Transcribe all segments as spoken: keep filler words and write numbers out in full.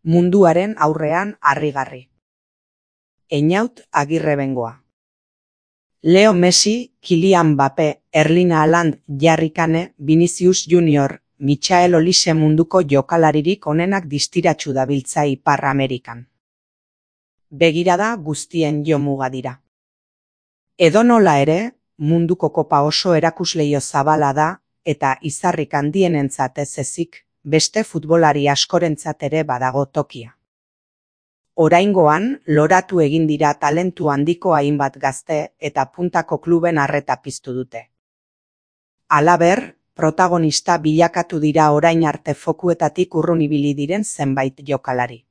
Munduaren aurrean harrigarri. Einaut Agirrebengoa. Leo Messi, Kylian Mbappé, Erling Haaland, Harry Kane, Vinicius Junior, Michael Olise munduko jokalaririk onenak distiratsu dabiltza Ipar Amerikan. Begirada guztien jomuga dira. Edonola ere, munduko kopa oso erakusleio zabala da, eta izarrik handienentzat ez ezik, beste futbolari askorentzat ere badago tokia. Oraingoan, loratu egin dira talentu handiko hainbat gazte eta puntako kluben arreta piztu dute. Halaber, protagonista bilakatu dira orain arte fokuetatik urrun ibili diren zenbait jokalari.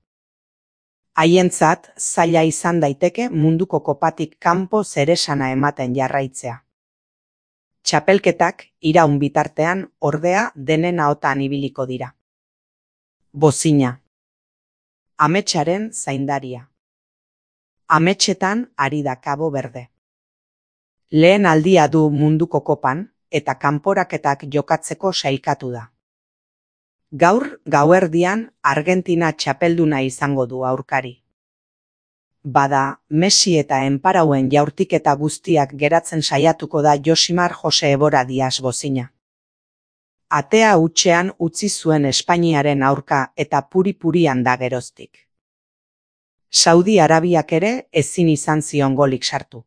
Haientzat, zaila izan daiteke munduko kopatik kanpo zeresana ematen jarraitzea. Txapelketak iraun bitartean ordea denen ahotan ibiliko dira. Bozina. Ametsaren zaindaria. Ametsetan ari da Cabo Verde. Lehen aldia du munduko kopan eta kanporaketak jokatzeko sailkatu da. Gaur gauerdian Argentina txapelduna izango du aurkari. Bada, Messi eta enparauen jaurtiketa guztiak geratzen saiatuko da Josimar Jose Ebora Diaz bozina. Atea hutsean utzi zuen Espainiaren aurka eta puri-purian da geroztik. Saudi Arabiak ere ezin izan zion golik sartu.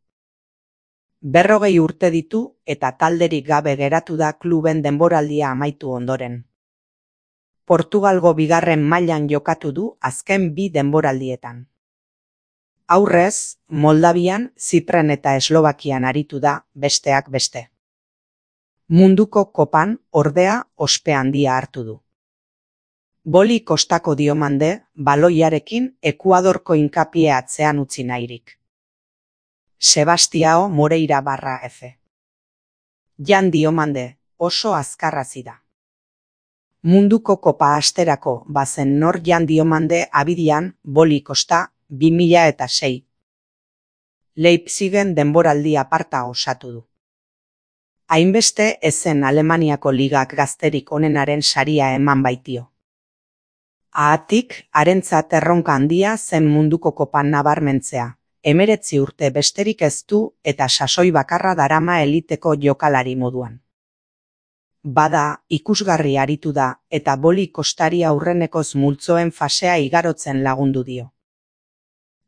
Berrogei urte ditu eta talderik gabe geratu da kluben denboraldia amaitu ondoren. Portugalgo bigarren mailan jokatu du azken bi denboraldietan. Aurrez, Moldavian, Zipren eta Eslovakian aritu da, besteak beste. Munduko kopan, ordea, ospe handia hartu du. Boli kostako diomande, baloiarekin Ekuadorko inkapie atzean utzi nahirik. Sebastiao Moreira barra F. Jan Diomande, oso azkarrazi da. Munduko kopa asterako bazen nor Jan Diomande abidian, Boli kosta, bi mila eta sei. Leipzigen denboraldi aparta osatu du. Hainbeste ezen Alemaniako ligak gazterik onenaren saria eman baitio. Ahatik, harentzat erronka handia zen munduko kopan nabarmentzea, hemeretzi urte besterik ez du eta sasoi bakarra darama eliteko jokalari moduan. Bada, ikusgarri aritu da eta Boli kostari aurrenekoz multzoen fasea igarotzen lagundu dio.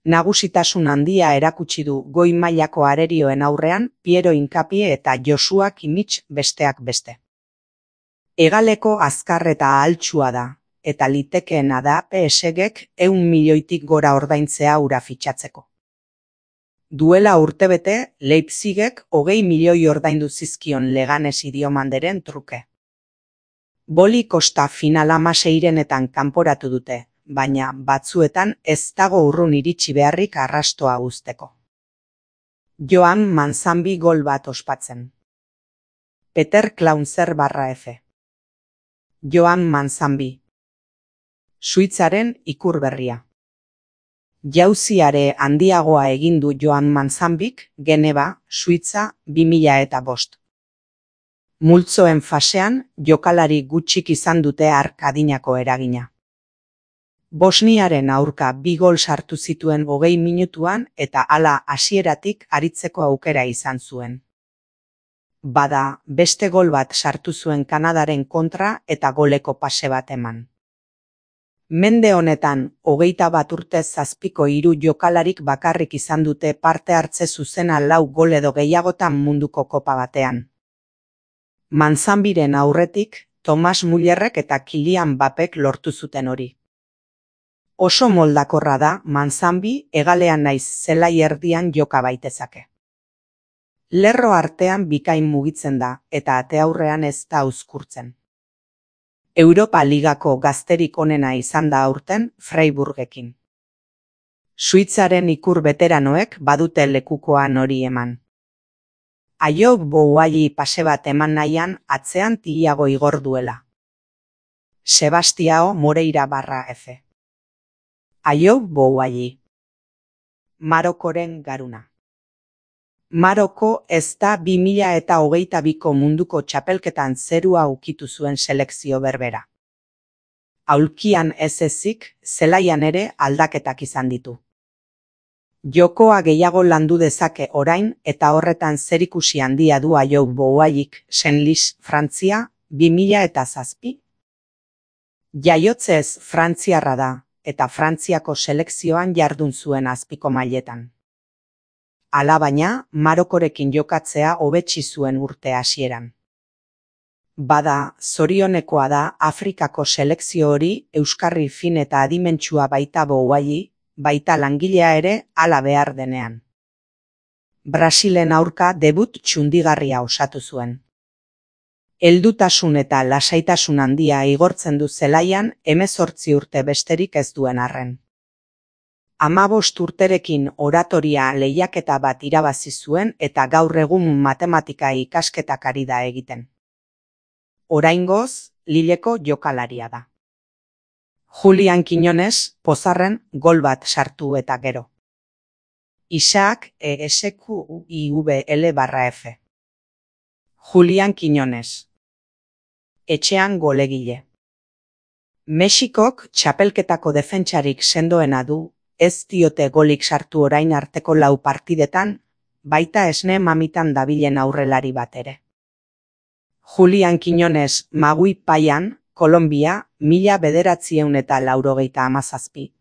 Nagusitasun handia erakutsi du goi mailako arerioen aurrean Piero Inkapie eta Joshua Kimmich besteak beste. Hegaleko azkar eta ahaltsua da, eta litekeena da P S Gek ehun milioitik gora ordaintzea hura fitxatzeko. Duela urtebete, Leipzigek hogei milioi ordaindu zizkion Leganesi Diomanderen truke. Boli kosta final hamaseirenetan kanporatu dute, baina batzuetan ez dago urrun iritsi beharrik arrastoa uzteko. Joan Manzambi gol bat ospatzen. Peter Klaunzer barra F. Joan Manzambi. Suitzaren ikur berria. Jauziare handiagoa egin du Joan Manzambik, Geneva, Suitza, bi mila eta bost. Multzoen fasean, jokalari gutxik izan dute hark adinako eragina. Bosniaren aurka bi gol sartu zituen hogei minutuan eta hala hasieratik aritzeko aukera izan zuen. Bada, beste gol bat sartu zuen Kanadaren kontra eta goleko pase bat eman. Mende honetan, hogeita bat urte zazpiko hiru jokalarik bakarrik izan dute parte hartze zuzena lau gol edo gehiagotan munduko kopa batean. Manzambiren aurretik, Thomas Müllerrek eta Kylian Mbappek lortu zuten hori. Oso moldakorra da Manzambi hegalean naiz zelai erdian joka baitezake. Lerro artean bikain mugitzen da eta ate aurrean ez da uzkurtzen. Europa Ligako gazterik onena izan da aurten Freiburgekin. Suitzaren ikur veteranoek badute lekukoan hori eman. Ayoub Boualli pase bat eman nahian atzean Tiago igor duela. Sebastiao Moreira barra F. Ayoub Boualli. Marokoren garuna. Maroko ez da bi mila eta hogeita biko munduko txapelketan zerua ukitu zuen selekzio berbera. aulkian ez ezik, zelaian ere aldaketak izan ditu. Jokoa gehiago landu dezake orain eta horretan zerikusi handia du Ayou Bouaik Senlis Frantzia bi mila eta zazpi. Jaiotzez frantziarra da eta Frantziako selekzioan jardun zuen azpiko mailetan. Alabaina, Marokorekin jokatzea hobetsi zuen urte hasieran. Bada, zorionekoa da Afrikako selekzio hori euskarri fin eta adimentsua baita Bouai, baita langilea ere hala behar denean. Brasilen aurka debut txundigarria osatu zuen. Heldutasun eta lasaitasun handia igortzen du zelaian hemezortzi urte besterik ez duen arren. Hamabost urterekin oratoria lehiaketa bat irabazi zuen eta gaur egun matematika ikasketak ari da egiten. Oraingoz, Lilleko jokalaria da. Julian Quiñones pozarren gol bat sartu eta gero. Isaac E S Q I V L barra F. Julian Quiñones. Etxean golegile. Mexikok txapelketako defentsarik sendoena du, ez diote golik sartu orain arteko lau partidetan, baita esne mamitan dabilen aurrelari bat ere. Julian Quiñones Magui Paian, Kolombia, mila bederatzieun eta laurogeita hamazazpi.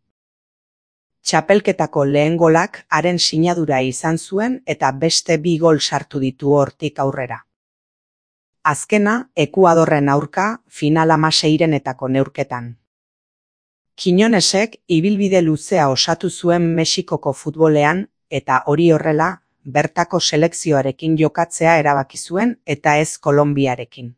Txapelketako lehen golak haren sinadura izan zuen eta beste bi gol sartu ditu hortik aurrera. Azkena, Ekuadorren aurka, final hamaseirenetako neurketan. Quiñonesek ibilbide luzea osatu zuen Mexikoko futbolean eta hori horrela, bertako selekzioarekin jokatzea erabaki zuen eta ez Kolonbiarekin.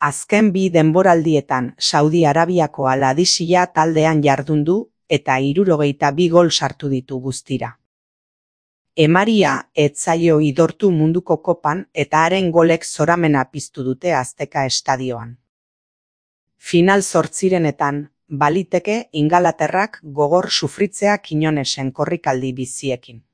Azken bi denboraldietan Saudi Arabiako Al-Hadissia taldean jardun du eta hirurogeita bi gol sartu ditu guztira. Emaria ez zaio idortu munduko kopan eta haren golek zoramena piztu dute Azteka estadioan. Final zortzirenetan, baliteke Ingalaterrak gogor sufritzea Quiñonesen korrikaldi biziekin.